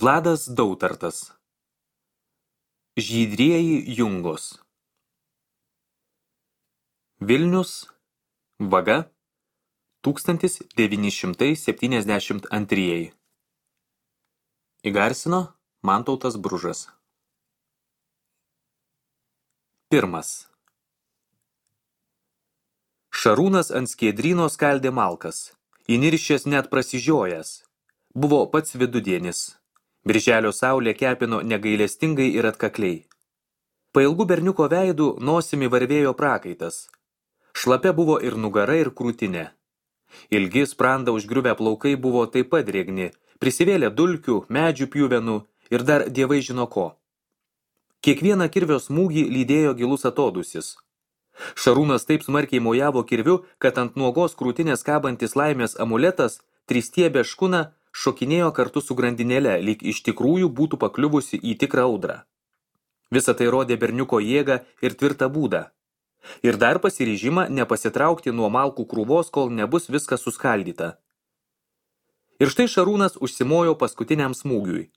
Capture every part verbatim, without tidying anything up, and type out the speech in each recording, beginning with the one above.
Vladas Dautartas. Žydrieji jungos. Vilnius, vaga, tūkstantis devyni šimtai septyniasdešimt antrieji. Įgarsino Mantautas Bružas. Pirmas. Šarūnas ant skiedryno skaldė malkas, įniršęs net prasižiojęs. Buvo pats vidudienis. Birželio saulė kepino negailestingai ir atkakliai. Pailgų berniuko veidų nosimi varvėjo prakaitas. Šlapia buvo ir nugara, ir krūtinė. Ilgi sprandą užgriuvę plaukai buvo taip pat drėgni, prisivėlė dulkių, medžių pjuvenų ir dar dievai žino ko. Kiekvieną kirvio smūgį lydėjo gilus atodūsis. Šarūnas taip smarkiai mojavo kirviu, kad ant nuogos krūtinės kabantis laimės amuletas, tristiebė škuna, šokinėjo kartu su grandinėle, lyg iš tikrųjų būtų pakliuvusi į tikrą audrą. Visa tai rodė berniuko jėgą ir tvirtą būdą. Ir dar pasiryžimą nepasitraukti nuo malkų krūvos, kol nebus viskas suskaldyta. Ir štai Šarūnas užsimojo paskutiniam smūgiui.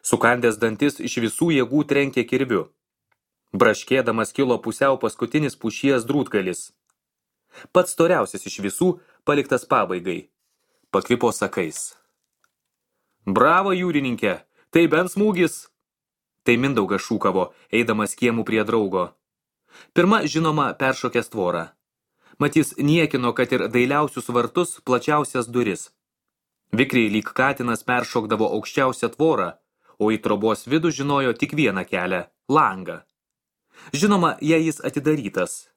Sukandęs dantis iš visų jėgų trenkė kirviu. Braškėdamas kilo pusiau paskutinis pušies drūtgalis. Pats storiausias iš visų paliktas pabaigai. Pakvipo sakais. Bravo, jūrininkė, tai bent smūgis. Tai Mindaugas šūkavo, eidamas kiemų prie draugo. Pirma, žinoma, peršokęs tvorą. Matys niekino, kad ir dailiausius vartus, plačiausias duris. Vikriai lyg katinas peršokdavo aukščiausią tvorą, o į trobos vidų žinojo tik vieną kelią – langą. Žinoma, jei jis atidarytas.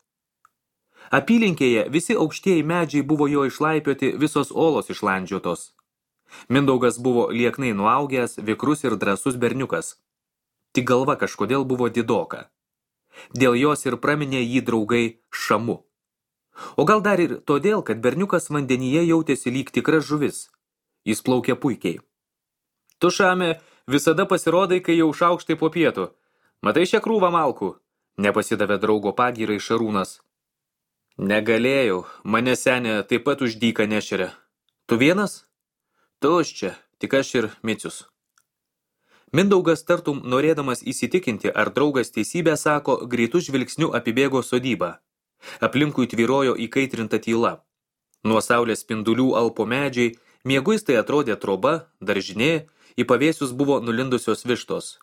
Apylinkėje visi aukštieji medžiai buvo jo išlaipioti, visos olos išlandžiotos. Mindaugas buvo lieknai nuaugęs, vikrus ir drąsus berniukas. Tik galva kažkodėl buvo didoka. Dėl jos ir praminė jį draugai Šamu. O gal dar ir todėl, kad berniukas vandenyje jautėsi lyg tikras žuvis. Jis plaukė puikiai. Tu, Šame, visada pasirodai, kai jau šaukštai po pietų. Matai šią krūvą malkų? Nepasidavė draugo pagyrai Šarūnas. Negalėjau, mane senė taip pat už dyką nešeria. Tu vienas? Tuščia, tik aš ir Micius. Mindaugas tartum norėdamas įsitikinti, ar draugas teisybę sako, greitų žvilgsnių apibėgo sodybą. Aplinkui tvyrojo įkaitrinta tyla. Nuo saulės spindulių alpo medžiai, mieguistai atrodė troba, daržinė, į pavėsius buvo nulindusios vištos.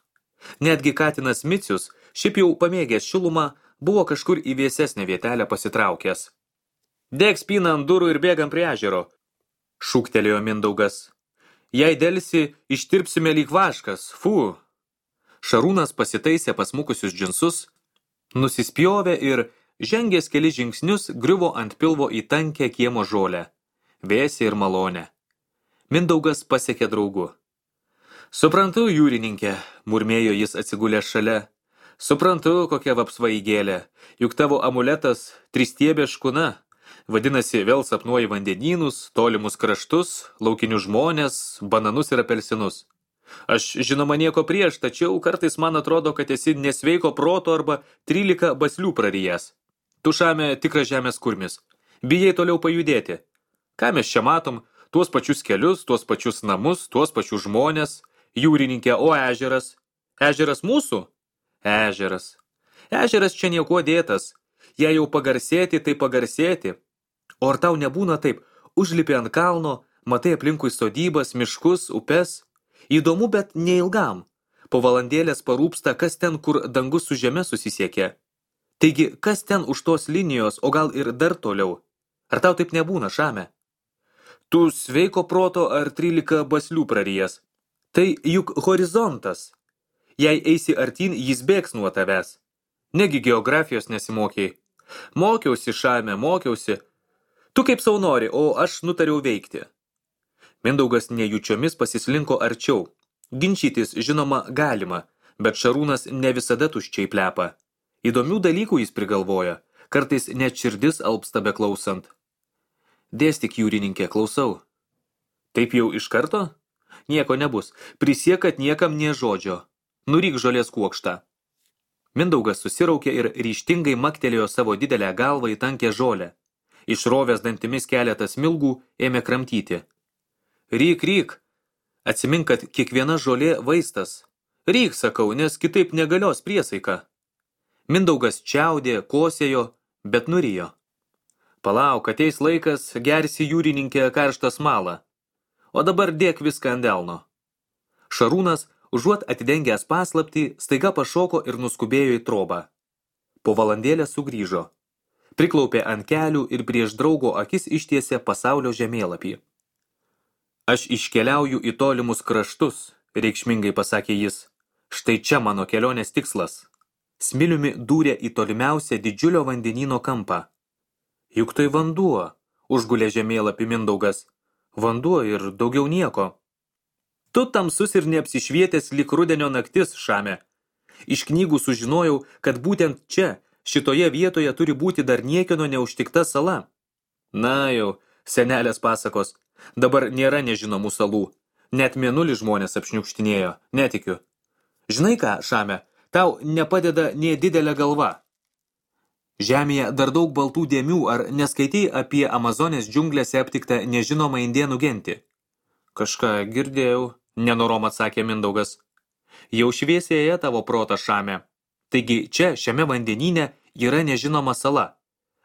Netgi katinas Micius, šiaip jau pamėgęs šilumą, buvo kažkur į vėsesnę vietelę pasitraukęs. Deg spyną ant durų ir bėgam prie ežero, šūktelėjo Mindaugas. Jei delsi, ištirpsime lyg vaškas, fu. Šarūnas pasitaisė pasmukusius džinsus, nusispjovė ir, žengęs keli žingsnius, griuvo ant pilvo į tankę kiemo žolę, vėsią ir malonę. Mindaugas pasiekė draugu. Suprantu, jūrininkė, murmėjo jis atsigulęs šalia. Suprantu, kokia vapsvaigėlė, juk tavo amuletas tristiebė škuna. Vadinasi, vėl sapnuoji vandenynus, tolimus kraštus, laukinius žmonės, bananus ir apelsinus. Aš, žinoma, nieko prieš, tačiau kartais man atrodo, kad esi nesveiko proto arba trylika baslių prarijęs. Tu, Šame, tikras žemės kurmis. Bijai toliau pajudėti. Ką mes čia matom? Tuos pačius kelius, tuos pačius namus, tuos pačius žmonės. Jūrininkė, o ežeras? Ežeras mūsų? Ežeras. Ežeras čia nieko dėtas. Jei jau pagarsėti, tai pagarsėti. O ar tau nebūna taip, užlipi ant kalno, matai aplinkui sodybas, miškus, upes? Įdomu, bet neilgam. Po valandėlės parūpsta, kas ten, kur dangus su žeme susisiekė. Taigi, kas ten už tos linijos, o gal ir dar toliau? Ar tau taip nebūna, Šame? Tu sveiko proto ar trylika baslių prarijęs? Tai juk horizontas. Jei eisi artyn, jis bėgs nuo tavęs. Negi geografijos nesimokėjai. Mokiausi, Šame, mokiausi. Tu kaip sau nori, o aš nutariau veikti. Mindaugas nejučiomis pasislinko arčiau. Ginčytis, žinoma, galima, bet Šarūnas ne visada tuščiai plepa. Įdomių dalykų jis prigalvoja, kartais net širdis alpsta beklausant. Dėstyk, jūrininkė, klausau. Taip jau iš karto? Nieko nebus. Prisiek, kad niekam nė žodžio. Nuryk žolės kuokštą. Mindaugas susiraukė ir ryžtingai maktelėjo savo didelę galvą į tankę žolę. Išrovęs dantimis keletą smilgų ėmė kramtyti. Ryk, ryk, Atsimink, kad kiekviena žolė vaistas. Ryk, sakau, nes kitaip negalios priesaika. Mindaugas čiaudė, kosėjo, bet nurijo. Palauk, ateis laikas, gersi jūrininkė karštą smalą. O dabar dėk viską ant delno. Šarūnas, užuot atidengęs paslaptį, staiga pašoko ir nuskubėjo į trobą. Po valandėlę sugrįžo. Priklaupė ant kelių ir prieš draugo akis ištiesė pasaulio žemėlapį. Aš iškeliauju į tolimus kraštus, reikšmingai pasakė jis. Štai čia mano kelionės tikslas. Smiliumi dūrė į tolimiausią didžiulio vandenyno kampą. Juk tai vanduo, užgulė žemėlapį Mindaugas. Vanduo ir daugiau nieko. Tu tamsus ir neapsišvietęs lyg rudenio naktis, Šame. Iš knygų sužinojau, kad būtent čia, šitoje vietoje turi būti dar niekieno neužtikta sala. Na jau, senelės pasakos. Dabar nėra nežinomų salų. Net mėnulį žmonės apšniukštinėjo, netikiu. Žinai ką, Šame, tau nepadeda nė didelė galva. Žemėje dar daug baltų dėmių, ar neskaitai apie Amazonės džiunglėse aptiktą nežinomą indėnų gentį? Kažką girdėjau, nenorom atsakė Mindaugas. Jau šviesėje tavo protas, Šame. Taigi čia, šiame vandenyne, yra nežinoma sala.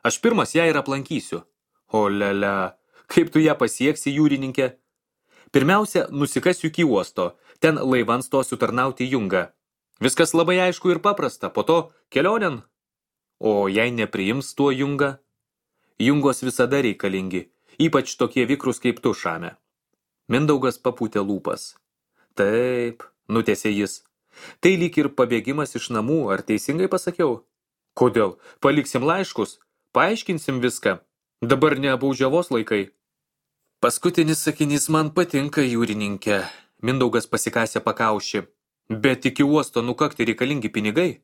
Aš pirmas ją ir aplankysiu. O lele, kaip tu ją pasieksi, jūrininkė? Pirmiausia, nusikasiu iki uosto, ten laivans stosiu tarnauti jungą. Viskas labai aišku ir paprasta, po to kelionėn. O jei nepriims tuo jungą? Jungos visada reikalingi, ypač tokie vikrus kaip tu, Šame. Mindaugas papūtė lūpas. Taip, nutęsė jis. Tai lyg ir pabėgimas iš namų, ar teisingai pasakiau? Kodėl? Paliksim laiškus? Paaiškinsim viską. Dabar ne baudžiavos laikai. Paskutinis sakinys man patinka, jūrininkė. Mindaugas pasikasė pakaušį. Bet iki uosto nukakti reikalingi pinigai?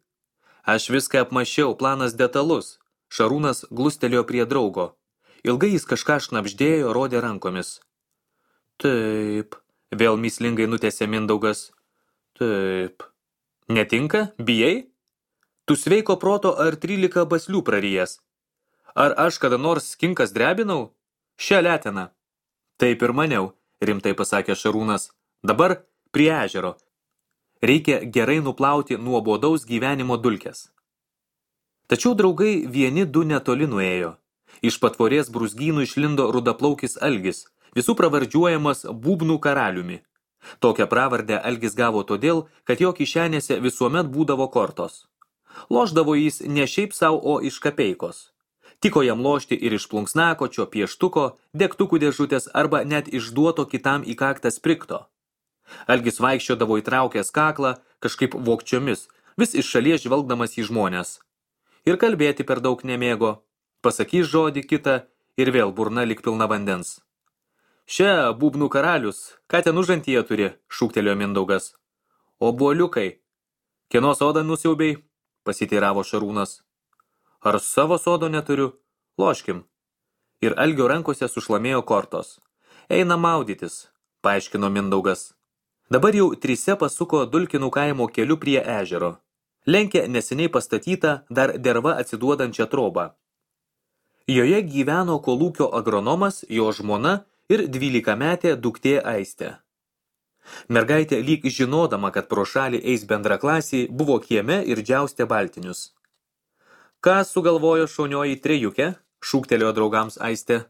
Aš viską apmašiau, planas detalus. Šarūnas glustelėjo prie draugo. Ilgai jis kažką šnabždėjo, rodė rankomis. Taip, vėl mįslingai nutęsė Mindaugas. Taip. Netinka? Bijai? Tu sveiko proto ar trylika baslių prarijęs? Ar aš kada nors skinkas drebinau? Šią leteną. Taip ir maniau, rimtai pasakė Šarūnas. Dabar prie ežero. Reikia gerai nuplauti nuobodaus gyvenimo dulkes. Tačiau draugai vieni du netoli nuėjo. Iš patvorės brūzgynų išlindo rudaplaukis Algis, visų pravardžiuojamas būbnų karaliumi. Tokią pravardę Algis gavo todėl, kad jo kišenėse visuomet būdavo kortos. Lošdavo jis ne šiaip sau, o iš kapeikos. Tiko jam lošti ir iš plunksnakočio, pieštuko, degtukų dėžutės arba net išduoto kitam į kaktą sprikto. Algis vaikščiodavo įtraukęs kaklą, kažkaip vokčiomis, vis iš šalies žvelgdamas į žmonės. Ir kalbėti per daug nemėgo. Pasakys žodį kitą ir vėl burna lyg pilna vandens. Šia būbnų karalius, ką ten užantyje turi, šūktelėjo Mindaugas. O buoliukai, kieno sodą nusiaubei, pasiteiravo Šarūnas. Ar savo sodo neturiu? Loškim. Ir Algio rankose sušlamėjo kortos. Eina maudytis, paaiškino Mindaugas. Dabar jau trise pasuko Dulkinų kaimo keliu prie ežero. Lenkė neseniai pastatytą, dar derva atsiduodančią trobą. Joje gyveno kolūkio agronomas, jo žmona ir dvylikametė duktė Aistė. Mergaitė lyg žinodama, kad pro šalį eis bendraklasiai, buvo kieme ir džiaustė baltinius. Ką sugalvojo šaunioji trejukė? Šūktelėjo draugams Aistė.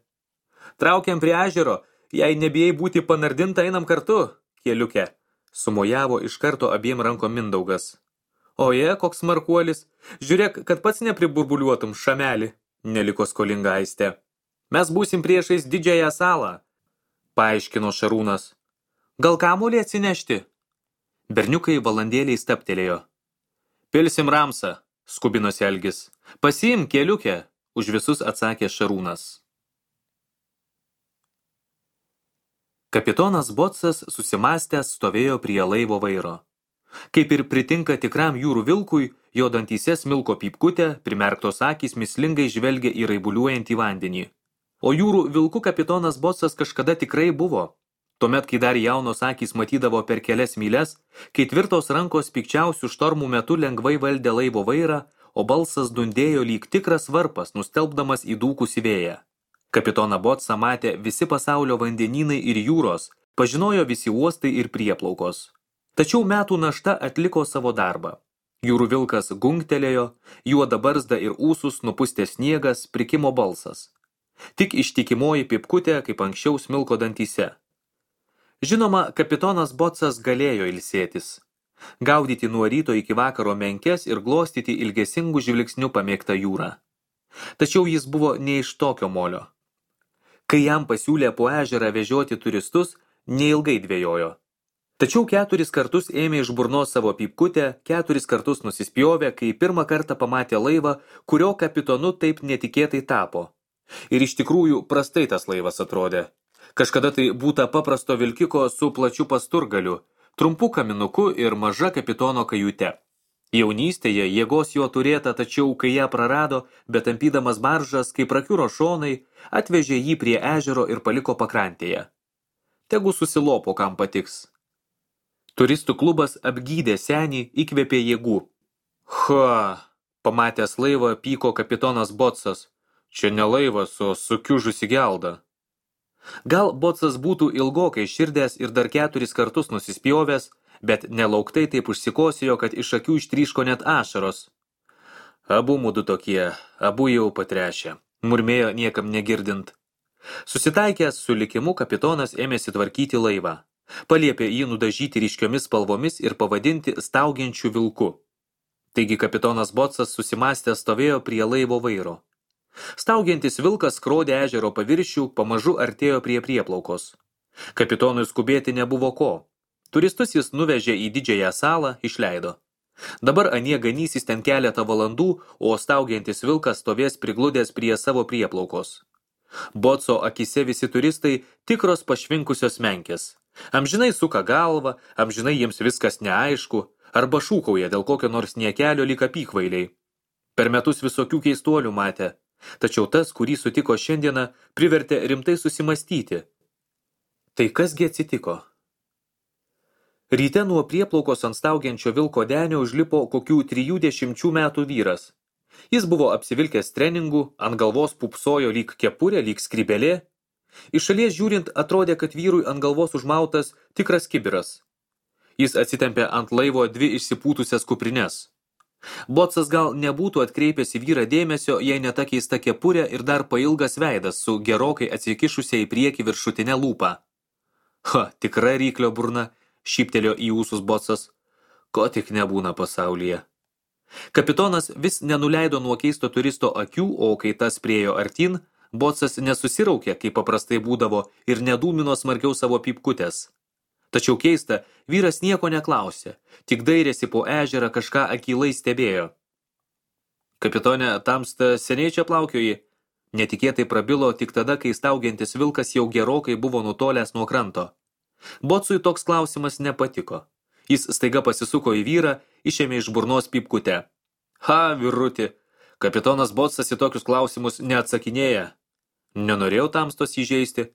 Traukiam prie ežero, jei nebijai būti panardinta, einam kartu, kieliukė. Sumojavo iš karto abiem rankom Mindaugas. Oje, koks smarkuolis, žiūrėk, kad pats nepriburbuliuotum, šamelį, neliko skolinga Aistė. Mes būsim priešais didžiąją salą, paaiškino Šarūnas. Gal kamuolį atsinešti? Berniukai valandėliai staptelėjo. Pilsim ramsą, skubinosi Algis. Pasiim, kieliukė, už visus atsakė Šarūnas. Kapitonas Botsas susimąstęs stovėjo prie laivo vairo. Kaip ir pritinka tikram jūrų vilkui, jo dantyse smilko pypkutė, primerktos akys mislingai žvelgia į raibuliuojantį vandenį. O jūrų vilkų kapitonas Botsas kažkada tikrai buvo. Tuomet, kai dar jaunos akys matydavo per kelias myles, kai tvirtos rankos pikčiausių štormų metu lengvai valdė laivo vairą, o balsas dundėjo lyg tikras varpas, nustelbdamas į dūkusį vėją. Kapitoną Botsą matė visi pasaulio vandenynai ir jūros, Pažinojo visi uostai ir prieplaukos. Tačiau metų našta atliko savo darbą. Jūrų vilkas gungtelėjo, juoda barzda ir ūsus nupustė sniegas, prikimo balsas. Tik ištikimoji pipkutė, kaip anksčiau smilko dantyse. Žinoma, kapitonas Botsas galėjo ilsėtis. Gaudyti nuo ryto iki vakaro menkes ir glostyti ilgesingų žvilgsnių pamėgtą jūrą. Tačiau jis buvo ne iš tokio molio. Kai jam pasiūlė po ežerą vežioti turistus, neilgai dvejojo. Tačiau keturis kartus ėmė iš burnos savo pipkutę, keturis kartus nusispjovė, kai pirmą kartą pamatė laivą, kurio kapitonu taip netikėtai tapo. Ir iš tikrųjų prastai tas laivas atrodė. Kažkada tai būta paprasto vilkiko su plačiu pasturgaliu, trumpu kaminuku ir maža kapitono kajute. Jaunystėje jėgos jo turėta, tačiau kai ją prarado, bet tampydamas baržas, kai prakiuro šonai, atvežė jį prie ežero ir paliko pakrantėje. Tegu susilopo, kam patiks. Turistų klubas apgydė senį, įkvėpė jėgų. Ha, pamatęs laivą, pyko kapitonas Botsas. Čia ne laivas, o sukiužusi gelda. Gal Botsas būtų ilgokai širdęs ir dar keturis kartus nusispjovęs, bet nelauktai taip užsikosėjo, kad iš akių ištryško net ašaros. Abu mudu tokie, abu jau patrešę, murmėjo niekam negirdint. Susitaikęs su likimu, kapitonas ėmėsi tvarkyti laivą. Paliepė jį nudažyti ryškiomis spalvomis ir pavadinti staugiančiu vilku. Taigi kapitonas Botsas susimąstęs stovėjo prie laivo vairo. Staugiantis vilkas skrodė ežero paviršių, pamažu artėjo prie prieplaukos. Kapitonui skubėti nebuvo ko. Turistus jis nuvežė į didžiąją salą, išleido. Dabar anie ganysis ten keletą valandų, o staugiantis vilkas stovės prigludęs prie savo prieplaukos. Botso akise visi turistai tikros pašvinkusios menkės. Amžinai suka galvą, amžinai jiems viskas neaišku, arba šūkauja dėl kokio nors niekelio lyg apykvailiai. Per metus visokių keistuolių matė, tačiau tas, kurį sutiko šiandieną, privertė rimtai susimastyti. Tai kasgi atsitiko? Ryte nuo prieplaukos ant staugiančio vilko denio užlipo kokių trijų dešimčių metų vyras. Jis buvo apsivilkęs treningų, ant galvos pupsojo lyg kepurė, lyg skrybelė. Iš šalies žiūrint atrodė, kad vyrui ant galvos užmautas tikras kibiras. Jis atsitempė ant laivo dvi išsipūtusias kuprines. Botsas gal nebūtų atkreipęs į vyrą dėmesio, jei ne ta keista kepurė ir dar pailgas veidas su gerokai atsikišusia į priekį viršutinę lūpą. Ha, tikra ryklio burna, šyptelėjo į ūsus Botsas. Ko tik nebūna pasaulyje. Kapitonas vis nenuleido nuo keisto turisto akių, o kai tas priejo artin, Botsas nesusiraukė, kaip paprastai būdavo, ir nedūmino smarkiau savo pipkutės. Tačiau keista, vyras nieko neklausė, tik dairėsi po ežerą, kažką akylai stebėjo. Kapitone, tamsta seniai čia plaukioji? Netikėtai prabilo tik tada, kai staugiantis vilkas jau gerokai buvo nutolęs nuo kranto. Botsui toks klausimas nepatiko. Jis staiga pasisuko į vyrą, išėmė iš burnos pipkutę. Ha, vyruti, kapitonas Botsas į tokius klausimus neatsakinėja. Nenorėjau tamstos įžeisti.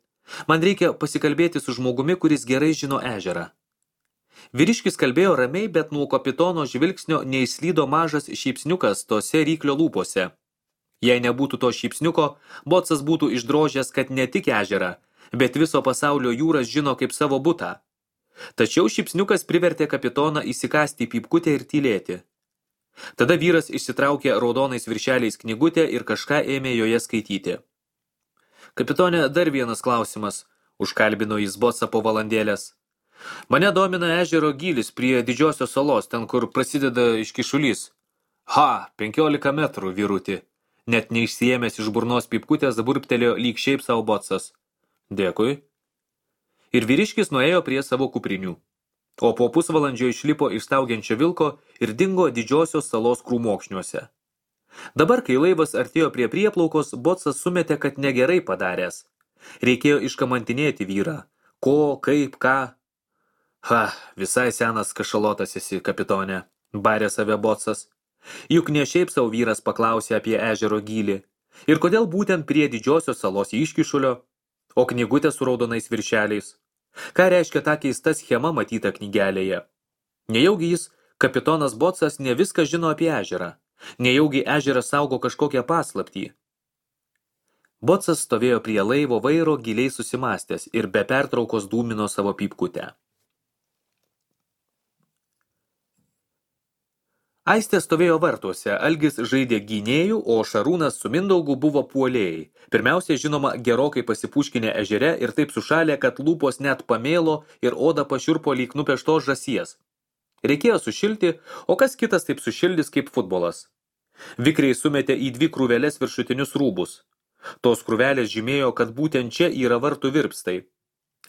Man reikia pasikalbėti su žmogumi, kuris gerai žino ežerą. Vyriškis kalbėjo ramiai, bet nuo kapitono žvilgsnio neįslydo mažas šypsniukas tose ryklio lūpose. Jei nebūtų to šypsniuko, Botsas būtų išdrožęs, kad ne tik ežerą, bet viso pasaulio jūras žino kaip savo butą. Tačiau šypsniukas privertė kapitoną įsikasti į pipkutę ir tylėti. Tada vyras išsitraukė raudonais viršeliais knygutę ir kažką ėmė joje skaityti. Kapitone, dar vienas klausimas, užkalbino jis Botsą po valandėlės. Mane domina ežero gylis prie didžiosios salos, ten kur prasideda iškišulys. Ha, penkiolika metrų, vyruti. Net neišsiėmęs iš burnos pipkutės burbtelėjo lyg šiaip savo Botsas. Dėkui. Ir vyriškis nuėjo prie savo kuprinių. O po pusvalandžio išlipo iš staugiančio vilko ir dingo didžiosios salos krūmokšniuose. Dabar, kai laivas artėjo prie prieplaukos, Botsas sumetė, kad negerai padaręs. Reikėjo iškamantinėti vyrą. Ko, kaip, ką? Ha, visai senas kašalotas esi, kapitone, barė save Botsas. Juk ne šiaip savo vyras paklausė apie ežero gylį. Ir kodėl būtent prie didžiosios salos iškišulio, o knygutė su raudonais viršeliais? Ką reiškia ta keista schema matyta knygelėje? Nejaugi jis, kapitonas Botsas, ne viską žino apie ežerą. Nejaugi ežeras saugo kažkokią paslaptį. Bocas stovėjo prie laivo vairo giliai susimastęs ir be pertraukos dūmino savo pypkutę. Aistė stovėjo vartuose, Algis žaidė gynėjų, o Šarūnas su Mindaugu buvo puolėjai. Pirmiausia, žinoma, gerokai pasipuškinę ežere ir taip sušalė, kad lūpos net pamėlo ir oda pašiurpo lyg nupeštos žąsies. Reikėjo sušilti, o kas kitas taip sušildys kaip futbolas. Vikriai sumetė į dvi krūvelės viršutinius rūbus. Tos krūvelės žymėjo, kad būtent čia yra vartų virpstai.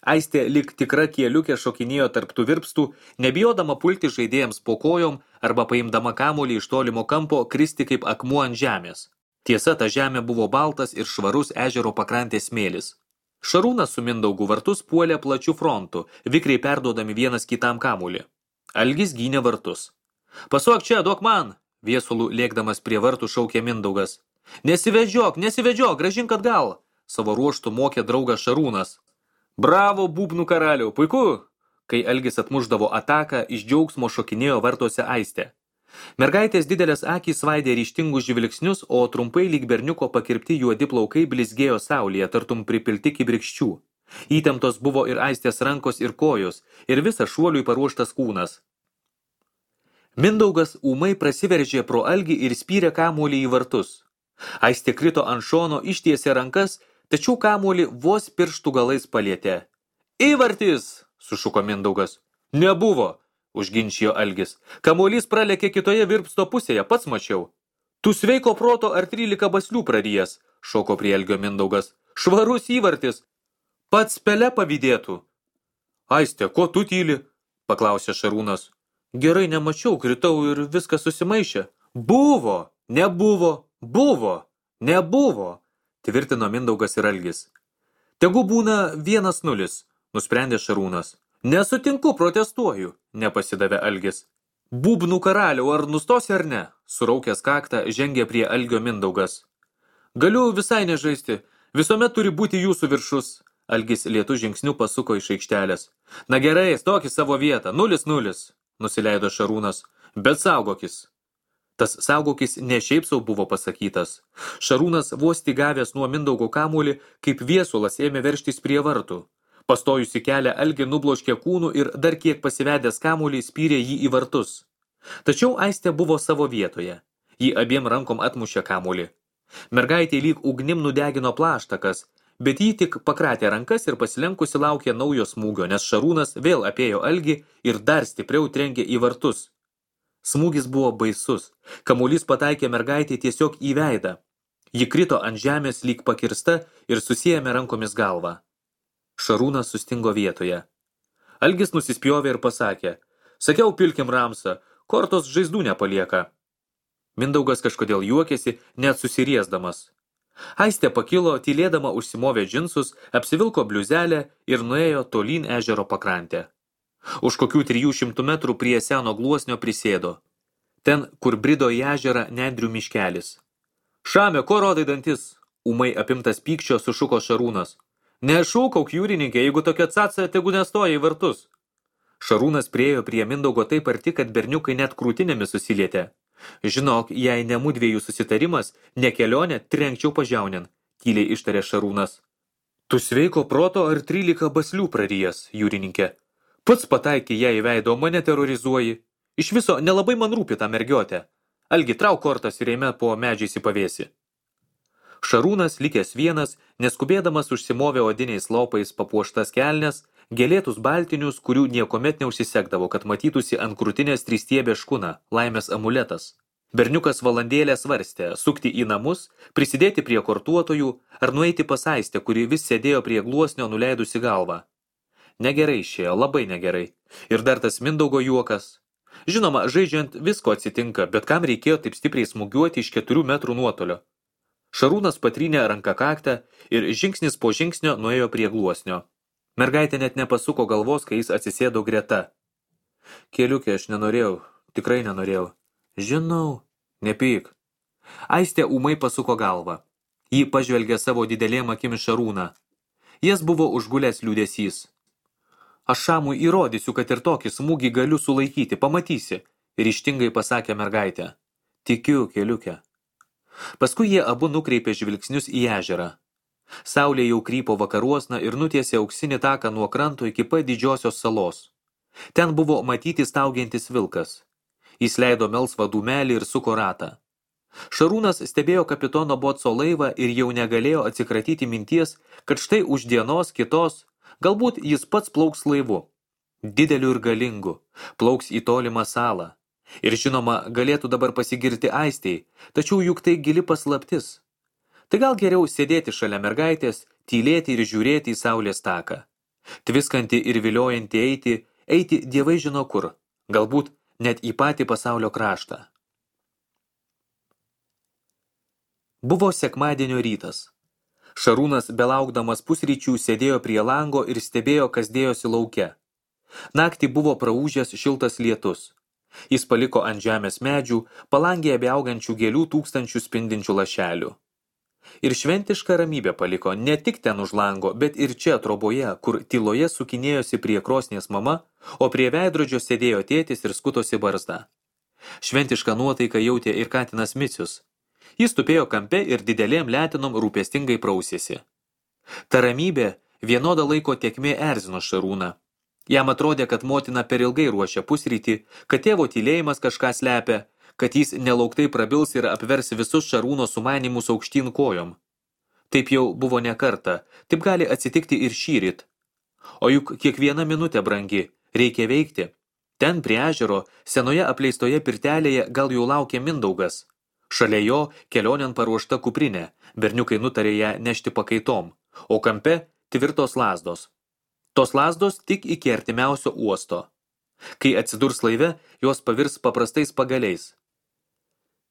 Aistė lyg tikra kieliukė šokinėjo tarp tų virpstų, nebijodama pulti žaidėjams po kojom arba paimdama kamuolį iš tolimo kampo kristi kaip akmuo ant žemės. Tiesa, ta žemė buvo baltas ir švarus ežero pakrantės smėlis. Šarūnas su Mindaugu vartus puolė plačių frontų, vikriai perduodami vienas kitam kamuolį. Algis gynė vartus. Pasuok čia, duok man, viesulų lėkdamas prie vartų šaukė Mindaugas. Nesivedžiok, nesivedžiok, grąžink atgal, savo ruoštų mokė draugas Šarūnas. Bravo, būbnų karaliau, puiku! Kai Algis atmušdavo ataką, iš džiaugsmo šokinėjo vartuose Aistė. Mergaitės didelės akys svaidė ryžtingus žvilgsnius, o trumpai lyg berniuko pakirpti juodi plaukai blizgėjo saulėje, tartum pripilti kibirkščių. Įtemptos buvo ir Aistės rankos ir kojos, ir visas šuoliui paruoštas kūnas. Mindaugas ūmai prasiveržė pro Algį ir spyrė kamuolį į vartus. Aistė krito ant šono, ištiesė rankas, tačiau kamuolį vos pirštų galais palietė. Įvartis, sušuko Mindaugas. Nebuvo, užginčijo Algis. Kamuolys pralėkė kitoje virpsto pusėje, pats mačiau. Tu sveiko proto ar trylika baslių prarijęs, šoko prie Algio Mindaugas. Švarus įvartis. Pats pele pavydėtų. Aistė, ko tu tyli? Paklausė Šarūnas. Gerai nemačiau, kritau ir viskas susimaišė. Buvo, nebuvo, buvo, nebuvo. Tvirtino Mindaugas ir Algis. Tegu būna vienas nulis, nusprendė Šarūnas. Nesutinku, protestuoju, nepasidavė Algis. Būbnų karaliau, ar nustosi ar ne? Suraukęs kaktą žengė prie Algio Mindaugas. Galiu visai nežaisti, visuomet turi būti jūsų viršus. Algis lėtų žingsnių pasuko iš aikštelės. Na gerai, stok į savo vietą, nulis nulis, nusileido Šarūnas, bet saugokis. Tas saugokis ne šiaip sau buvo pasakytas. Šarūnas vos gavęs nuo Mindaugo kamuolį, kaip viesulas ėmė veržtis prie vartų. Pastojusi kelią Algį nubloškė kūnų ir dar kiek pasivedęs kamuolį spyrė jį į vartus. Tačiau Aistė buvo savo vietoje. Ji abiem rankom atmušė kamuolį. Mergaitė lyg ugnim nudegino plaštakas, bet ji tik pakratė rankas ir pasilenkusi laukė naujo smūgio, nes Šarūnas vėl apėjo Algį ir dar stipriau trenkė į vartus. Smūgis buvo baisus. Kamuolys pataikė mergaitė tiesiog į veidą. Ji krito ant žemės lyg pakirsta ir susiėmė rankomis galvą. Šarūnas sustingo vietoje. Algis nusispjovė ir pasakė, sakiau pilkim ramsą, kortos žaizdų nepalieka. Mindaugas kažkodėl juokėsi, net susiriesdamas. Aistė pakilo, tylėdama užsimovė džinsus, apsivilko bliuzelę ir nuėjo tolyn ežero pakrantę. Už kokių trijų šimtų metrų prie seno gluosnio prisėdo. Ten, kur brido į ežerą nendrių miškelis. Šame, ko rodai dantis? Ūmai apimtas pykčio sušuko Šarūnas. Nešūkauk, jūrininkė, jeigu tokia caca, tegu nestoja į vartus. Šarūnas priėjo prie Mindaugo taip arti, kad berniukai net krūtinėmis susilietė. Žinok, jei ne mudviejų susitarimas, ne kelionė, trenkčiau pažiaunin, tyliai ištarė Šarūnas. Tu sveiko proto ar trylika baslių prarijęs, jūrininkė? Pats pataikė ją į veidą, o mane terrorizuoji. Iš viso nelabai man rūpi tą mergiotę. Algi, trauk kortas ir eime po medžiais į pavėsį. Šarūnas, likęs vienas, neskubėdamas užsimovė odiniais lopais papuoštas kelnes, gėlėtus baltinius, kurių niekomet neužsisekdavo, kad matytųsi ant krūtinės tristiebė škuna, laimės amuletas. Berniukas valandėlę svarstė, sukti į namus, prisidėti prie kortuotojų, ar nueiti pas Aistę, kuri vis sėdėjo prie gluosnio nuleidusi galvą. Negerai išėjo, labai negerai. Ir dar tas Mindaugo juokas. Žinoma, žaidžiant visko atsitinka, bet kam reikėjo taip stipriai smūgiuoti iš keturių metrų nuotolio. Šarūnas patrynė ranką kaktą ir žingsnis po žingsnio nuėjo prie gluosnio. Mergaitė net nepasuko galvos, kai jis atsisėdo greta. Keliukė, aš nenorėjau, tikrai nenorėjau. Žinau, nepyk. Aistė ūmai pasuko galvą. Ji pažvelgė savo didelėm akimis Šarūną. Jas buvo užgulęs liūdesys. Aš Šamui įrodysiu, kad ir tokį smūgį galiu sulaikyti, pamatysi, ryžtingai pasakė mergaitė. Tikiu, keliukė. Paskui jie abu nukreipė žvilgsnius į ežerą. Saulė jau krypo vakaruosna ir nutiesė auksinį taką nuo kranto iki pat didžiosios salos. Ten buvo matyti staugiantis vilkas. Jis leido melsvą dūmelį ir suko ratą. Šarūnas stebėjo kapitono Botso laivą ir jau negalėjo atsikratyti minties, kad štai už dienos kitos, galbūt jis pats plauks laivu. Dideliu ir galingu, plauks į tolimą salą. Ir žinoma, galėtų dabar pasigirti aistei, tačiau juk tai gili paslaptis. Tai gal geriau sėdėti šalia mergaitės, tylėti ir žiūrėti į saulės taką. Tviskanti ir viliojanti eiti, eiti dievai žino kur, galbūt net į patį pasaulio kraštą. Buvo sekmadienio rytas. Šarūnas, belaukdamas pusryčių, sėdėjo prie lango ir stebėjo, kas dėjosi lauke. Naktį buvo praūžęs šiltas lietus. Jis paliko ant žemės medžių, palangėje beaugančių gėlių tūkstančių spindinčių lašelių. Ir šventišką ramybę paliko ne tik ten už lango, bet ir čia troboje, kur tyloje sukinėjosi prie krosnės mama, o prie veidrodžio sėdėjo tėtis ir skutosi barzdą. Šventišką nuotaiką jautė ir katinas Micius. Jis tupėjo kampe ir didelėm letinom rūpestingai prausėsi. Ta ramybė vienodą laiko tėkmė erzino Šarūną. Jam atrodė, kad motina per ilgai ruošia pusrytį, kad tėvo tylėjimas kažką slepia, kad jis nelauktai prabils ir apvers visus Šarūno sumanymus aukštyn kojom. Taip jau buvo ne kartą, taip gali atsitikti ir šįryt. O juk kiekviena minutė brangi, reikia veikti. Ten prie ežero, senoje apleistoje pirtelėje gal jau laukia Mindaugas. Šalia jo kelionėn paruošta kuprinė, berniukai nutarė ją nešti pakaitom, o kampe tvirtos lazdos. Tos lazdos tik iki artimiausio uosto. Kai atsidurs laive, jos pavirs paprastais pagaliais.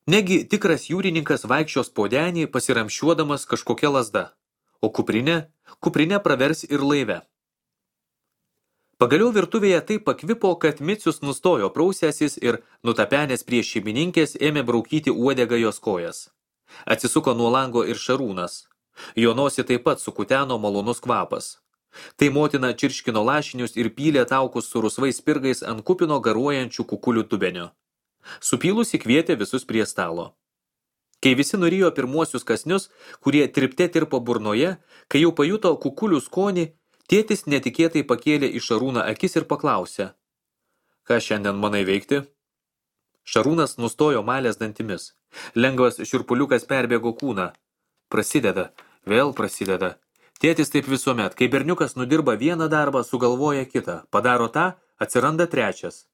Negi tikras jūrininkas vaikščios po denį pasiramšiuodamas kažkokia lazda, o kuprinė, kuprinė pravers ir laive. Pagaliau virtuvėje taip pakvipo, kad Micius nustojo prausęsis ir, nutapenęs prie šeimininkės, ėmė braukyti uodegą jos kojas. Atsisuko nuo lango ir Šarūnas. Jo nosį taip pat sukuteno malonus kvapas. Tai motina čirškino lašinius ir pylė taukus su rusvais spirgais ant kupino garuojančių kukulių dubenio. Supylusi kvietė visus prie stalo. Kai visi nurijo pirmuosius kasnius, kurie tripte tirpo burnoje, kai jau pajuto kukulių skonį, tėtis netikėtai pakėlė į Šarūną akis ir paklausė. Ką šiandien manai veikti? Šarūnas nustojo malės dantimis. Lengvas šiurpuliukas perbėgo kūną. Prasideda, vėl prasideda. Tėtis taip visuomet, kai berniukas nudirba vieną darbą, sugalvoja kitą. Padaro tą, atsiranda trečias.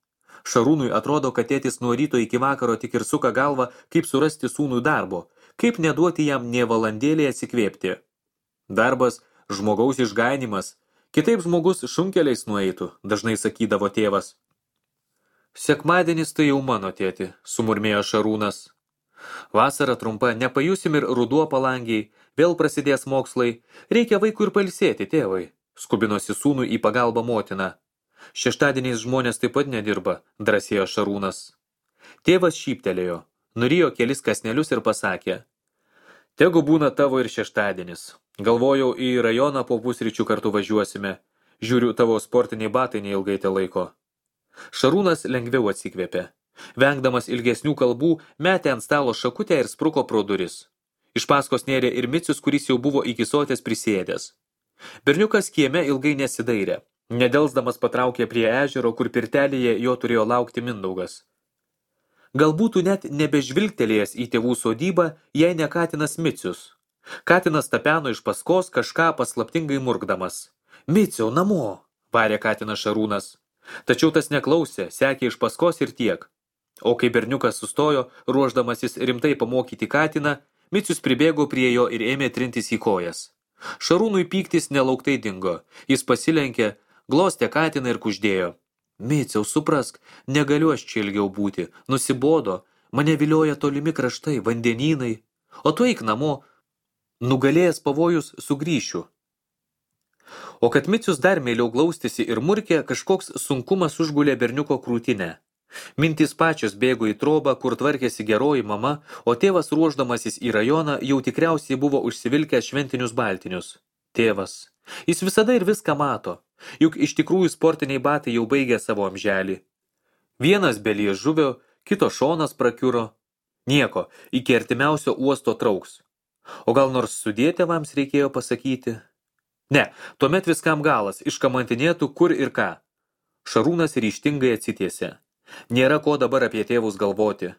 Šarūnui atrodo, kad tėtis nuo ryto iki vakaro tik ir suka galvą, kaip surasti sūnui darbo, kaip neduoti jam nė valandėlį atsikvėpti. Darbas – žmogaus išganimas. Kitaip žmogus šunkeliais nueitų, dažnai sakydavo tėvas. Sekmadienis tai jau mano tėti, sumurmėjo Šarūnas. Vasara trumpa, nepajusim ir ruduo palangiai, vėl prasidės mokslai, reikia vaikų ir pailsėti, tėvai, skubinosi sūnui į pagalbą motina. Šeštadieniais žmonės taip pat nedirba, drąsėjo Šarūnas. Tėvas šyptelėjo, nurijo kelis kasnelius ir pasakė. Tegu būna tavo ir šeštadienis. Galvojau, į rajoną po pusryčių kartu važiuosime. Žiūriu, tavo sportiniai batai neilgai te laiko. Šarūnas lengviau atsikvėpė. Vengdamas ilgesnių kalbų, metė ant stalo šakutę ir spruko pro duris. Iš paskos nėrė ir Micius, kuris jau buvo iki sotės prisėdęs. Berniukas kieme ilgai nesidairė. Nedelsdamas patraukė prie ežero, kur pirtelėje jo turėjo laukti Mindaugas. Gal būtų net nebežvilgtelėjęs į tėvų sodybą, jei ne katinas Micius. Katinas tapeno iš paskos kažką paslaptingai murkdamas. Miciau, namo, varė katinas Šarūnas. Tačiau tas neklausė, sekė iš paskos ir tiek. O kai berniukas sustojo, ruošdamasis rimtai pamokyti katiną, Micius pribėgo prie jo ir ėmė trintis į kojas. Šarūnui pyktis nelauktai dingo. Jis pasilenkė, glostė katiną ir kuždėjo. Miciau, suprask, negaliu aš čia ilgiau būti. Nusibodo, mane vilioja tolimi kraštai, vandenynai. O tu eik namo, nugalėjęs pavojus sugrįšiu. O kad Micius dar meiliau glaustėsi ir murkė, kažkoks sunkumas užgulė berniuko krūtinę. Mintys pačios bėgo į trobą, kur tvarkėsi geroji mama, o tėvas ruošdamasis į rajoną jau tikriausiai buvo užsivilkęs šventinius baltinius. Tėvas. Jis visada ir viską mato. Juk iš tikrųjų sportiniai batai jau baigė savo amželį. Vienas be liežuvio, kito šonas prakiuro. Nieko, iki artimiausio uosto trauks. O gal nors sudė tėvams reikėjo pasakyti? Ne, tuomet viskam galas, iškamantinėtų kur ir ką. Šarūnas ryžtingai atsitiesė. Nėra ko dabar apie tėvus galvoti.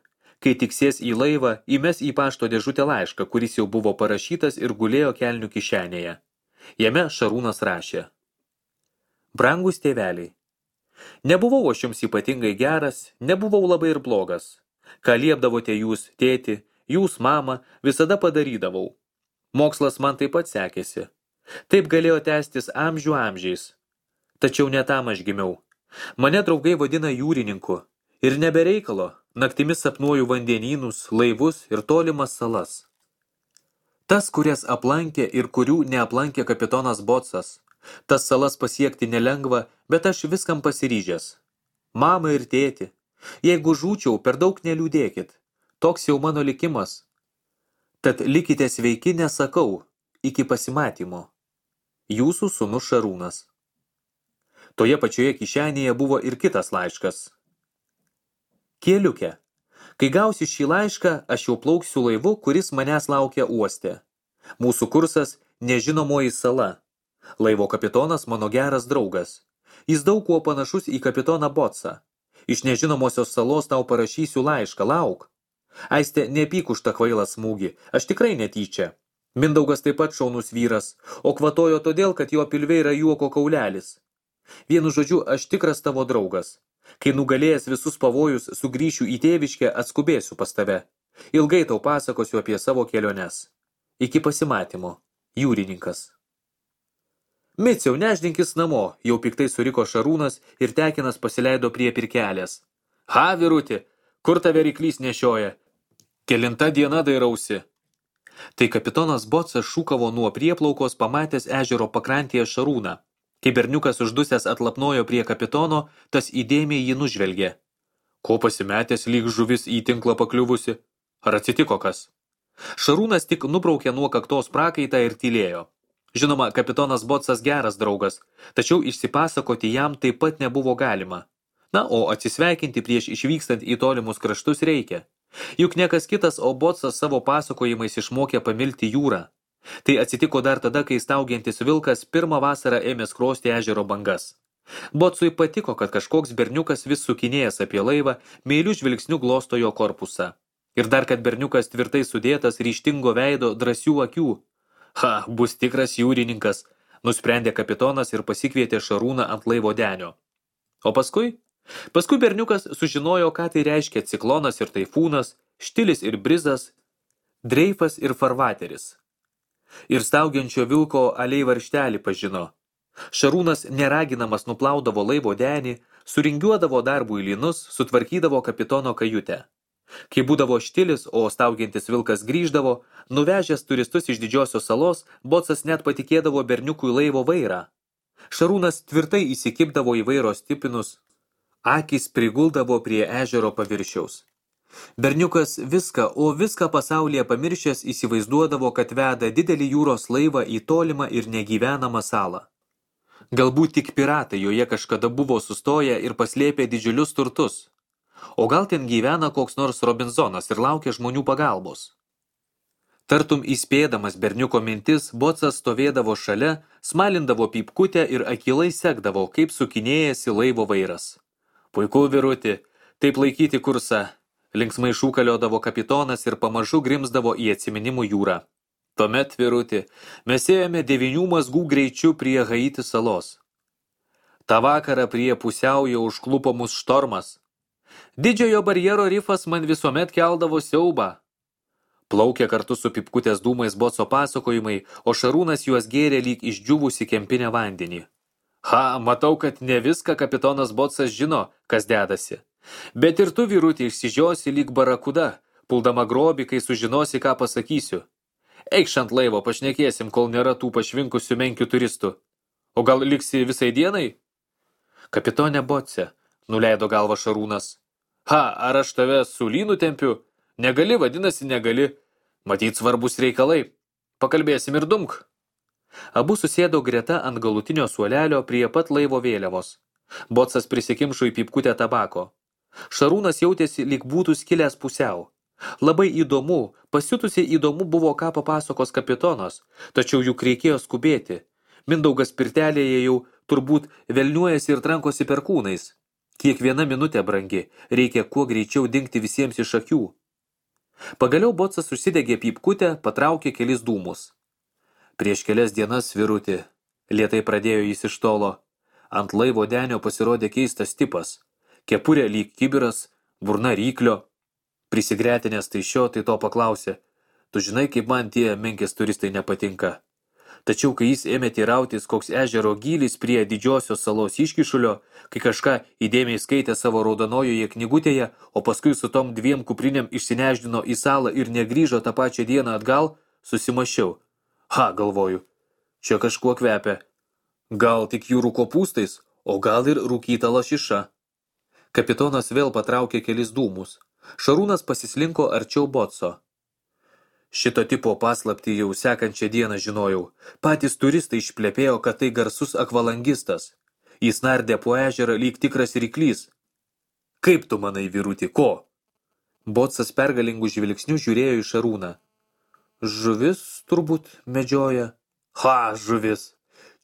Kai tiksės į laivą, įmes į pašto dėžutę laišką, kuris jau buvo parašytas ir gulėjo kelnių kišenėje. Jame Šarūnas rašė. Brangus tėveliai, nebuvau aš jums ypatingai geras, nebuvau labai ir blogas. Ką liepdavote jūs, tėti, jūs, mama, visada padarydavau. Mokslas man taip pat sekėsi. Taip galėjo tęstis amžių amžiais. Tačiau ne tam aš gimiau. Mane draugai vadina jūrininku. Ir nebereikalo, naktimis sapnuoju vandenynus, laivus ir tolimas salas. Tas, kurias aplankė ir kurių neaplankė kapitonas Botsas. Tas salas pasiekti nelengva, bet aš viskam pasiryžęs. Mama ir tėti, jeigu žūčiau, per daug neliūdėkit. Toks jau mano likimas. Tad likite sveiki, nesakau, iki pasimatymo. Jūsų sūnus Šarūnas. Toje pačioje kišenėje buvo ir kitas laiškas. Kieliuke, kai gausiu šį laišką, aš jau plauksiu laivu, kuris manęs laukia uoste. Mūsų kursas nežinomoji sala. Laivo kapitonas mano geras draugas. Jis daug kuo panašus į kapitoną Botsą. Iš nežinomosios salos tau parašysiu laišką, lauk. Aiste, nepyk už tą kvailą smūgį, aš tikrai netyčia. Mindaugas taip pat šaunus vyras, o kvatojo todėl, kad jo pilve yra juoko kaulelis. Vienu žodžiu, aš tikras tavo draugas. Kai nugalėjęs visus pavojus, sugrįšiu į tėviškę, atskubėsiu pas tave. Ilgai tau pasakosiu apie savo keliones. Iki pasimatymo. Jūrininkas. Miciau, neždinkis namo, jau piktai suriko Šarūnas ir Tekinas pasileido prie pirkelės. Ha, vyruti, kur tave ryklys nešioja? Kelinta diena dairausi. Tai kapitonas Botsas šūkavo nuo prieplaukos pamatęs ežero pakrantėje Šarūną. Kai berniukas uždusęs atlapnojo prie kapitono, tas įdėmiai jį nužvelgė. Ko pasimetęs lyg žuvis į tinklą pakliuvusi? Ar atsitiko kas? Šarūnas tik nubraukė nuo kaktos prakaitą ir tylėjo. Žinoma, kapitonas Botsas geras draugas, tačiau išsipasakoti jam taip pat nebuvo galima. Na, o atsisveikinti prieš išvykstant į tolimus kraštus reikia. Juk niekas kitas, o Botsas savo pasakojimais išmokė pamilti jūrą. Tai atsitiko dar tada, kai staugiantis vilkas pirmą vasarą ėmė skrosti ežero bangas. Botsui patiko, kad kažkoks berniukas vis sukinėjęs apie laivą, meilių žvilgsnių glosto jo korpusą. Ir dar, kad berniukas tvirtai sudėtas, ryžtingo veido, drąsių akių. Ha, bus tikras jūrininkas, nusprendė kapitonas ir pasikvietė Šarūną ant laivo denio. O paskui? Paskui berniukas sužinojo, ką tai reiškia ciklonas ir taifūnas, štilis ir brizas, dreifas ir farvateris. Ir staugiančio vilko aliai varštelį pažino. Šarūnas neraginamas nuplaudavo laivo denį, suringiuodavo darbų į lynus, sutvarkydavo kapitono kajutę. Kai būdavo štilis, o staugiantis vilkas grįždavo, nuvežęs turistus iš didžiosios salos, Botsas net patikėdavo berniukui laivo vairą. Šarūnas tvirtai įsikibdavo į vairo stipinus, akys priguldavo prie ežero paviršiaus. Berniukas viską, o viską pasaulyje pamiršęs įsivaizduodavo, kad veda didelį jūros laivą į tolimą ir negyvenamą salą. Galbūt tik piratai joje kažkada buvo sustoję ir paslėpę didžiulius turtus. O gal ten gyvena koks nors Robinzonas ir laukia žmonių pagalbos. Tartum įspėdamas berniuko mintis, Botsas stovėdavo šalia, smalindavo pypkutę ir akylai sekdavo, kaip sukinėjasi laivo vairas. Puiku, vyruti, taip laikyti kursą. Linksmai šūkaliodavo kapitonas ir pamažu grimzdavo į atsiminimų jūrą. Tuomet, vyruti, mes ėjome devynių mazgų greičiu prie Haiti salos. Ta vakarą prie pusiaujo užklupo mus štormas. Didžiojo barjero rifas man visuomet keldavo siaubą. Plaukė kartu su pipkutės dūmais Botso pasakojimai, o Šarūnas juos gėrė lyg išdžiūvusi kempinę vandenį. Ha, matau, kad ne viską kapitonas Botsas žino, kas dedasi. Bet ir tu, vyrutį, išsižiosi lyg barakuda, puldama grobį, kai sužinosi, ką pasakysiu. Eikš ant laivo, pašnekėsim, kol nėra tų pašvinkusių menkių turistų. O gal liksi visai dienai? Kapitone Botse, nuleido galvą Šarūnas. Ha, ar aš tave su lynu tempiu? Negali, vadinasi, negali. Matyt svarbus reikalai. Pakalbėsim ir dumk. Abu susėdo greta ant galutinio suolelio prie pat laivo vėliavos. Botsas prisikimšo į pypkutę tabako. Šarūnas jautėsi, lyg būtų skilęs pusiau. Labai įdomu, pasiutusiai įdomu buvo, ką papasakos kapitonas, tačiau juk reikėjo skubėti. Mindaugas pirtelėje jau turbūt velniuojasi ir trankosi perkūnais. Kiekviena minutė brangi, reikia kuo greičiau dingti visiems iš akių. Pagaliau Bocas užsidegė pypkutę, patraukė kelis dūmus. Prieš kelias dienas, vyruti, lėtai pradėjo jis iš tolo. Ant laivo denio pasirodė keistas tipas. Kepurė lyg kibiras, burna ryklio. Prisigretinęs tai šio, tai to paklausė. Tu žinai, kaip man tie menkės turistai nepatinka. Tačiau, kai jis ėmė teirautis, koks ežero gylis prie didžiosios salos iškišulio, kai kažką įdėmiai skaitė savo raudonojoje knygutėje, o paskui su tom dviem kuprinėm išsineždino į salą ir negrįžo tą pačią dieną atgal, susimašiau. Ha, galvoju, čia kažkuo kvepia. Gal tik jūrų kopūstais, o gal ir rūkyta lašiša. Kapitonas vėl patraukė kelis dūmus. Šarūnas pasislinko arčiau Boco. Šito tipo paslaptį jau sekančią dieną žinojau. Patys turistai išplepėjo, kad tai garsus akvalangistas. Jis nardė po ežerą lyg tikras ryklys. Kaip tu manai, vyruti, ko? Bocas pergalingų žvilgsnių žiūrėjo į Šarūną. Žuvis turbūt medžioja. Ha, žuvis.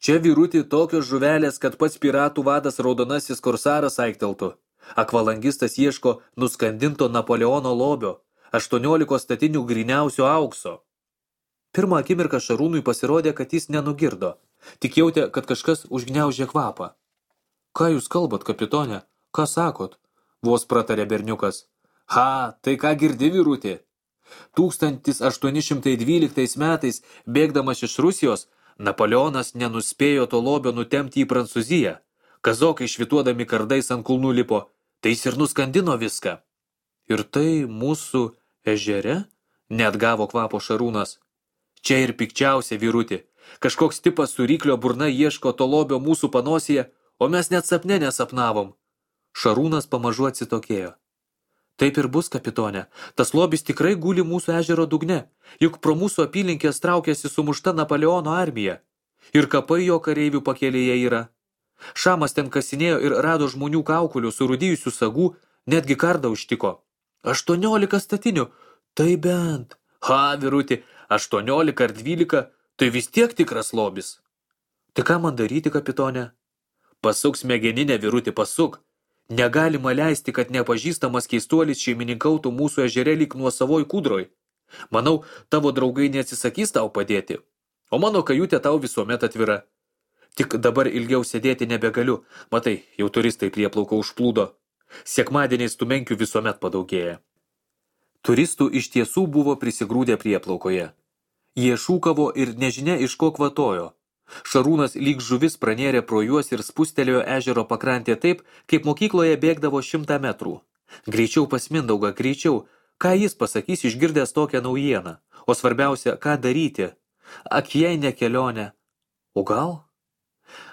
Čia, vyruti, tokios žuvelės, kad pats piratų vadas raudonasis korsaras aikteltų. Akvalangistas ieško nuskandinto Napoleono lobio, aštuoniolikos statinių gryniausio aukso. Pirmą akimirką Šarūnui pasirodė, kad jis nenugirdo. Tik jautė, kad kažkas užgniaužė kvapą. Ką jūs kalbat, kapitone? Ką sakot? Vos pratarė berniukas. Ha, tai ką girdi, vyruti? tūkstantis aštuoni šimtai dvyliktais metais, bėgdamas iš Rusijos, Napoleonas nenuspėjo to lobio nutemti į Prancūziją. Kazokai švituodami kardais ant kulnų lipo, tai jis ir nuskandino viską. Ir tai mūsų ežere? Neatgavo kvapo Šarūnas. Čia ir pikčiausia, vyruti. Kažkoks tipas su ryklio burna ieško to lobio mūsų panosėje, o mes net sapne nesapnavom. Šarūnas pamažu atsitokėjo. Taip ir bus, kapitone. Tas lobis tikrai guli mūsų ežero dugne, juk pro mūsų apylinkės traukėsi sumušta Napoleono armija. Ir kapai jo kareivių pakelėje yra. Šamas ten kasinėjo ir rado žmonių kaukulių, surūdijusių sagų, netgi kardą užtiko. Aštuoniolika statinių, tai bent. Ha, vyruti, aštuoniolika ar dvylika, tai vis tiek tikras lobis. Tai ką man daryti, kapitone? Pasuk smegeninę, vyruti, pasuk. Negalima leisti, kad nepažįstamas keistuolis šeimininkautų mūsų ežere lyg nuosavoj kūdroj. Manau, tavo draugai neatsisakys tau padėti, o mano kajutė tau visuomet atvira. Tik dabar ilgiau sėdėti nebegaliu, matai, jau turistai prieplauko užplūdo. Sekmadieniais tų menkių visuomet padaugėja. Turistų iš tiesų buvo prisigrūdę prieplaukoje. Jie šūkavo ir nežinia iš ko kvatojo. Šarūnas lyg žuvis pranėrė pro juos ir spustelėjo ežero pakrantė taip, kaip mokykloje bėgdavo šimtą metrų. Greičiau pas Mindaugą, greičiau, ką jis pasakys išgirdęs tokią naujieną, o svarbiausia, ką daryti. Ak, jei ne kelionė. O gal?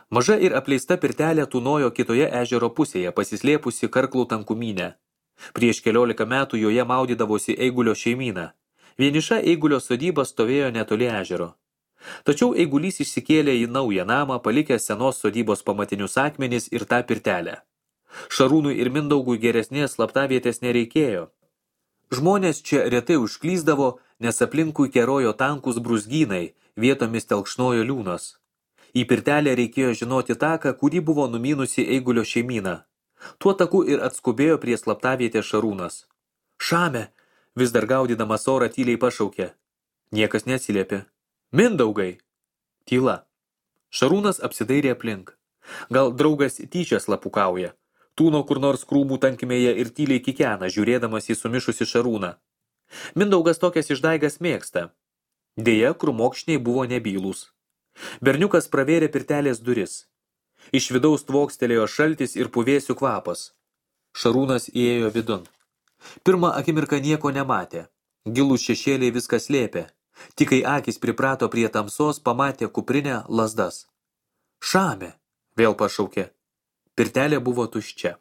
Maža ir apleista pirtelė tūnojo kitoje ežero pusėje, pasislėpusi karklų tankumynę. Prieš keliolika metų joje maudydavosi Eigulio šeimyna. Vieniša Eigulio sodyba stovėjo netoli ežero. Tačiau Eigulys išsikėlė į naują namą, palikęs senos sodybos pamatinius akmenis ir tą pirtelę. Šarūnui ir Mindaugui geresnės slaptavietės nereikėjo. Žmonės čia retai užklysdavo, nes aplinkui kerojo tankus brūzgynai, vietomis telkšnojo liūnas. Į pirtelę reikėjo žinoti taką, kurį buvo numynusi Eigulio šeimyna. Tuo taku ir atskubėjo prie slaptavietės Šarūnas. Šame, vis dar gaudydamas orą tyliai pašaukė. Niekas neatsiliepė. Mindaugai! Tyla. Šarūnas apsidairė aplink. Gal draugas tyčia slapukauja. Tūno kur nors krūmų tankmėje ir tyliai kikena, žiūrėdamas į sumišusi Šarūną. Mindaugas tokias išdaigas mėgsta. Deja, krūmokšniai buvo nebylūs. Berniukas pravėrė pirtelės duris. Iš vidaus tvokstelėjo šaltis ir puvėsių kvapas. Šarūnas įėjo vidun. Pirmą akimirką nieko nematė. Gilūs šešėliai viskas slėpė. Tik kai akis priprato prie tamsos, pamatė kuprinę lazdas. Šame, vėl pašaukė. Pirtelė buvo tuščia.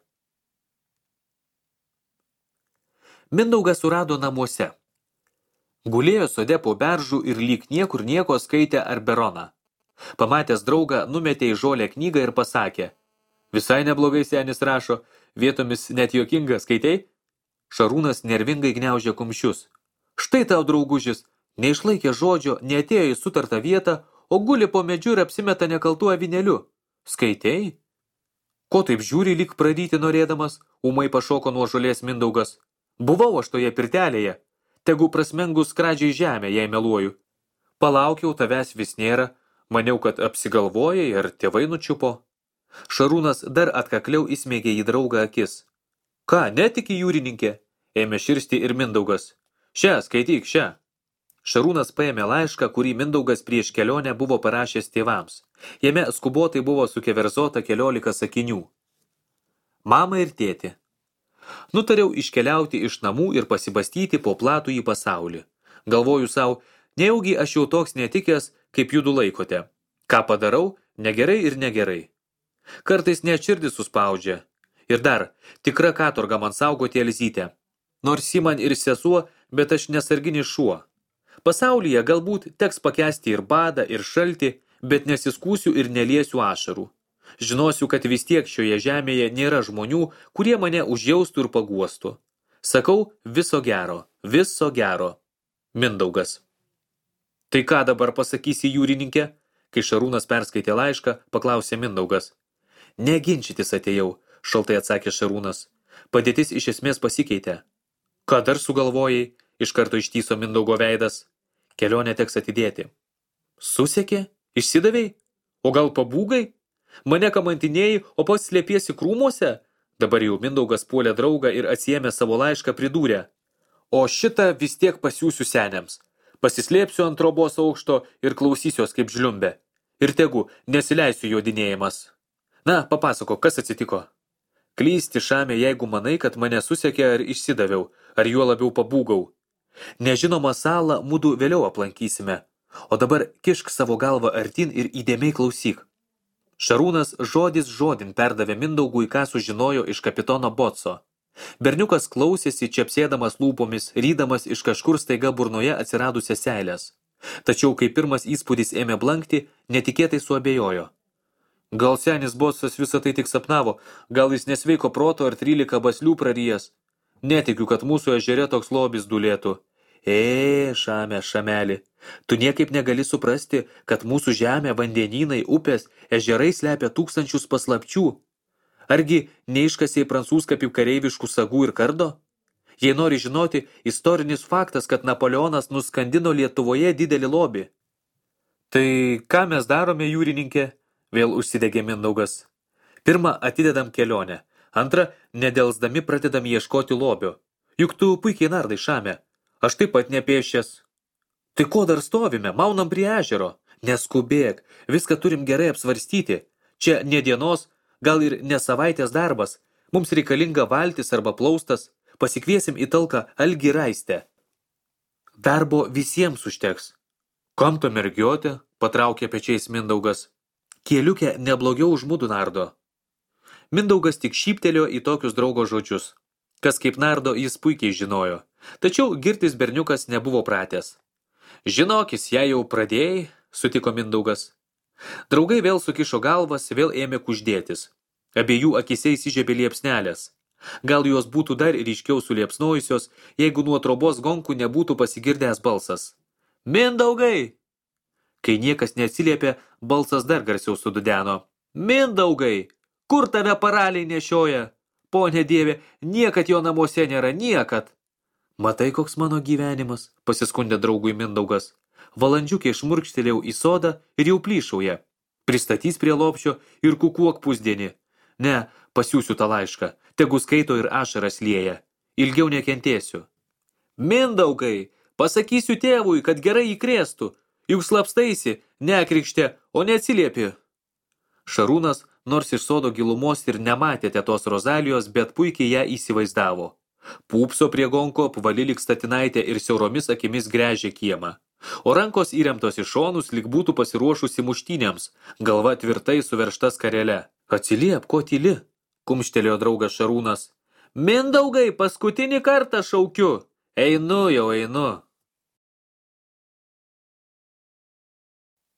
Mindaugas surado namuose. Gulėjo sode po beržų ir lyg niekur nieko skaitė Arberoną. Pamatęs draugą, numetė į žolę knygą ir pasakė. Visai neblogai senis rašo, vietomis net juokinga, skaitei? Šarūnas nervingai gniaužė kumščius. Štai tau, draugužis, neišlaikė žodžio, neatėjo į sutartą vietą, o guli po medžiu ir apsimeta nekaltų avinėliu. Skaitei? Ko taip žiūri, lyg praryti norėdamas, ūmai pašoko nuo žolės Mindaugas. Buvau aš toje pirtelėje, tegu prasmengus skradžiai žemę, jei meluoju. Palaukiau, tavęs vis nėra, maniau, kad apsigalvojai ar tėvai nučiupo. Šarūnas dar atkakliau įsmeigė į draugą akis. Ką, netiki jūrininkė? Ėmė širsti ir Mindaugas. Šią, skaityk, šią. Šarūnas paėmė laišką, kurį Mindaugas prieš kelionę buvo parašęs tėvams. Jame skubotai buvo sukeverzota keliolika sakinių. Mama ir tėti. Nutariau iškeliauti iš namų ir pasibastyti po platų į pasaulį. Galvoju savo, nejaugi aš jau toks netikęs, kaip judu laikote. Ką padarau, negerai ir negerai. Kartais net širdis suspaudžia. Ir dar, tikra katorga man saugoti Elzytę. Nors ji man ir sesuo, bet aš nesarginis šuo. Pasaulyje galbūt teks pakęsti ir badą, ir šaltį, bet nesiskūsiu ir neliesiu ašarų. Žinosiu, kad vis tiek šioje žemėje nėra žmonių, kurie mane užjaustų ir paguostų. Sakau, viso gero, viso gero. Mindaugas. Tai ką dabar pasakysi jūrininkė? Kai Šarūnas perskaitė laišką, paklausė Mindaugas. Neginčytis atėjau, šaltai atsakė Šarūnas. Padėtis iš esmės pasikeitė. Ką dar sugalvojai? Iš karto ištyso Mindaugo veidas. Kelionę teks atidėti. Susekė? Išsidavei? O gal pabūgai? Mane kamantinėjai, o pats slėpiesi krūmuose? Dabar jau Mindaugas puolė draugą ir atsiėmė savo laišką pridūrė. O šitą vis tiek pasiūsiu seniams. Pasislėpsiu ant trobos aukšto ir klausysiuos kaip žliumbė. Ir tegu, nesileisiu jodinėjimas. Na, papasako, kas atsitiko? Klysti šamė, jeigu manai, kad mane susekė ar išsidaviau, ar juo labiau pabūgau. Nežinomą salą mudu vėliau aplankysime. O dabar kišk savo galvą artin ir įdėmiai klausyk. Šarūnas žodis žodin perdavė Mindaugui, ką sužinojo iš kapitono Botso. Berniukas klausėsi, čepsėdamas lūpomis, rydamas iš kažkur staiga burnoje atsiradusias seilės. Tačiau, kai pirmas įspūdis ėmė blankti, netikėtai suabejojo. Gal senis Botsas visą tai tik sapnavo, gal jis nesveiko proto ar trylika baslių prarijęs. Netikiu, kad mūsų ežere toks lobis dulėtų. E, šame, šameli, tu niekaip negali suprasti, kad mūsų žemė, vandenynai, upės, ežerai slepia tūkstančius paslapčių. Argi neiškasiai prancūzkapių kareiviškų sagų ir kardo? Jei nori žinoti, istorinis faktas, kad Napoleonas nuskandino Lietuvoje didelį lobį. Tai ką mes darome, jūrininkė? Vėl užsidegė Mindaugas. Pirma, atidedam kelionę. Antra, nedelsdami pradedam ieškoti lobio. Juk tu puikiai nardai, šame. Aš taip pat nepėšęs. Tai ko dar stovime, maunam prie ežero? Neskubėk, viską turim gerai apsvarstyti. Čia ne dienos, gal ir ne savaitės darbas. Mums reikalinga valtis arba plaustas. Pasikviesim į talką Algį Raistę. Darbo visiems užteks. Kam to mergiotė? Patraukė pečiais Mindaugas. Kieliukė neblogiau už mudu nardo. Mindaugas tik šyptelėjo į tokius draugo žodžius. Kas kaip nardo, jis puikiai žinojo. Tačiau girtis berniukas nebuvo pratęs. Žinokis, jei jau pradėjai, sutiko Mindaugas. Draugai vėl sukišo galvas, vėl ėmė kuždėtis. Abiejų akise įsižiebė liepsnelės. Gal jos būtų dar ryškiau suliepsnojusios, jeigu nuo trobos gonkų nebūtų pasigirdęs balsas. Mindaugai! Kai niekas neatsiliepė, balsas dar garsiau sududeno. Mindaugai! Kur tave paraliai nešioja? Pone Dieve, niekad jo namuose nėra, niekad. Matai, koks mano gyvenimas, pasiskundė draugui Mindaugas. Valandžiukė šmurkštelėjau į sodą ir jau plyšauja. Pristatys prie lopšio ir kukuok pusdienį. Ne, pasiūsiu tą laišką, tegu skaito ir ašaras lieja. Ilgiau nekentėsiu. Mindaugai, pasakysiu tėvui, kad gerai įkrėstų. Juk slapstaisi, nekrikštė, o neatsiliepi. Šarūnas, nors iš sodo gilumos ir nematė tetos Rozalijos, bet puikiai ją įsivaizdavo. Pūpso prie gonko, apvali lyg statinaitė ir siauromis akimis gręžė kiemą. O rankos įremtos į šonus, lyg būtų pasiruošusi muštynėms, galva tvirtai suveršta skarele. Atsiliep, ko tyli, kumštelėjo draugas Šarūnas. Mindaugai, paskutinį kartą šaukiu. Einu jau, einu.